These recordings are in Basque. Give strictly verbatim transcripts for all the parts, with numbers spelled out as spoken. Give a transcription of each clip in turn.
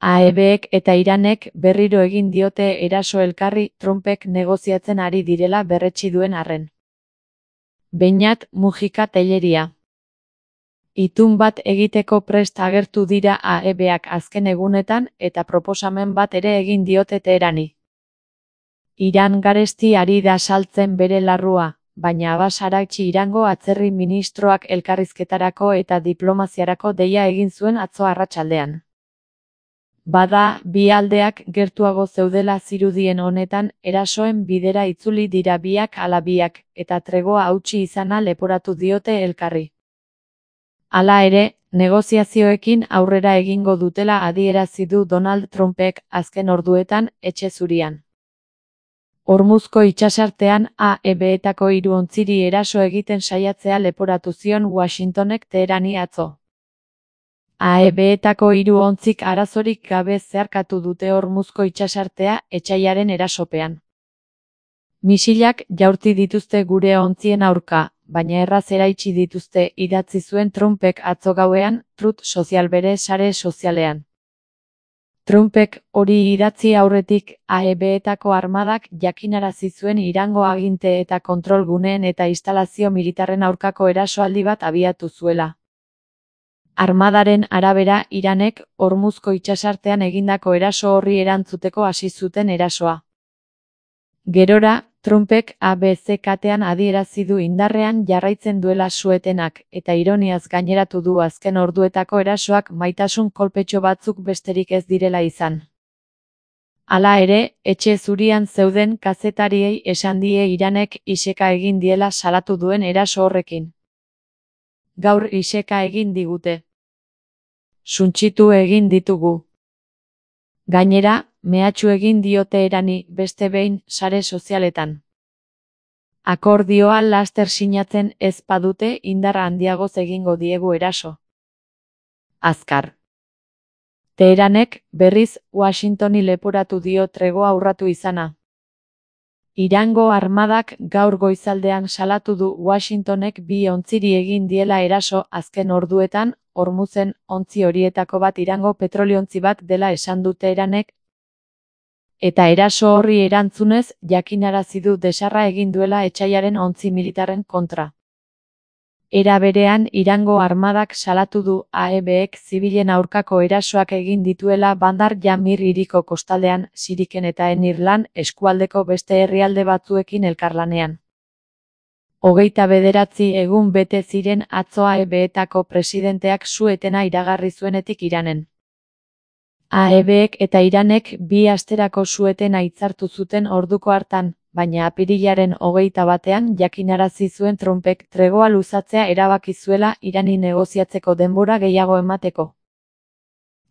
A E Bek eta Iranek berriro egin diote eraso elkarri Trumpek negoziatzen ari direla berretsi duen arren. Beñat Mujika Telleria. Itun bat egiteko prest agertu dira A E Bak azken egunetan eta proposamen bat ere egin diote Teherani. Iran garesti ari da saltzen bere larrua, baina Abbas Araghchi Irango atzerri ministroak elkarrizketarako eta diplomaziarako deia egin zuen atzo arratsaldean. Bada, bi aldeak gertuago zeudela zirudien honetan erasoen bidera itzuli dira biak ala biak, eta tregoa hautsi izana leporatu diote elkarri. Hala ere, negoziazioekin aurrera egingo dutela adierazi du Donald Trumpek azken orduetan Etxe Zurian. Hormuzko itsasartean A E Betako hiru ontziri eraso egiten saiatzea leporatu zion Washingtonek Teherani atzo. A E Betako hiru ontzik arazorik gabe zeharkatu dute Hormuzko itsasartea etsaiaren erasopean. Misilak jaurti dituzte gure ontzien aurka, baina erraz eraitsi dituzte, idatzi zuen Trumpek atzo gauean, Truth Social bere sare sozialean. Trumpek hori idatzi aurretik A E Betako armadak jakinarazi zuen Irango aginte eta kontrol guneen eta instalazio militarren aurkako erasoaldi bat abiatu zuela. Armadaren arabera Iranek Hormuzko itsasartean egindako eraso horri erantzuteko hasi zuten erasoa. Gerora, Trumpek A B C katean adierazi du indarrean jarraitzen duela su-etenak, eta ironiaz gaineratu du azken orduetako erasoak maitasun kolpetxo batzuk besterik ez direla izan. Hala ere, Etxe Zurian zeuden kazetariei esan die Iranek iseka egin diela salatu duen eraso horrekin. Gaur iseka egin digute. Suntsitu egin ditugu. Gainera, mehatxu egin diote Teherani beste behin sare sozialetan. Akordioa laster sinatzen ez badute indar handiagoz egingo diegu eraso. Azkar. Teheranek, berriz, Washingtoni leporatu dio tregoa urratu izana. Irango armadak gaur goizaldean salatu du Washingtonek bi ontziri egin diela eraso azken orduetan, Hormuzen ontzi horietako bat Irango petroliontzi bat dela esan du Teheranek, eta eraso horri erantzunez jakinarazi du desarra egin duela etsaiaren ontzi militarren kontra. Era berean Irango armadak salatu du A E Bek zibilen aurkako erasoak egin dituela Bandar Jamir hiriko kostaldean, Siriken eta Enirlan eskualdeko beste herrialde batzuekin elkarlanean. Hogeita bederatzi egun bete ziren atzo A E Betako presidenteak su-etena iragarri zuenetik Iranen. A E Bek eta Iranek bi asterako su-etena hitzartu zuten orduko hartan, baina apirilaren hogeita batean jakinarazi zuen Trumpek tregoa luzatzea erabaki zuela Irani negoziatzeko denbora gehiago emateko.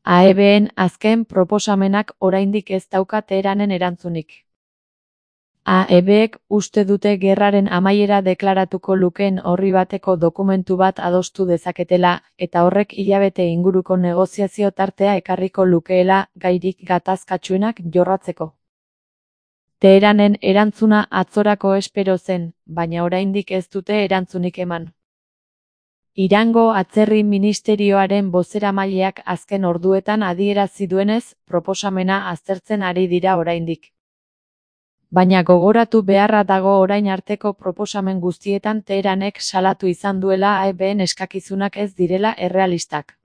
A E Ben azken proposamenak oraindik ez dauka Teheranen erantzunik. A E Bek uste dute gerraren amaiera deklaratuko lukeen orri bateko dokumentu bat adostu dezaketela, eta horrek hilabete inguruko negoziazio tartea ekarriko lukeela gairik gatazkatsuenak jorratzeko. Teheranen erantzuna atzorako espero zen, baina oraindik ez dute erantzunik eman. Irango atzerri ministerioaren bozeramaileak azken orduetan adierazi duenez, proposamena aztertzen ari dira oraindik. Baina gogoratu beharra dago orain arteko proposamen guztietan Teheranek salatu izan duela A E Ben eskakizunak ez direla errealistak.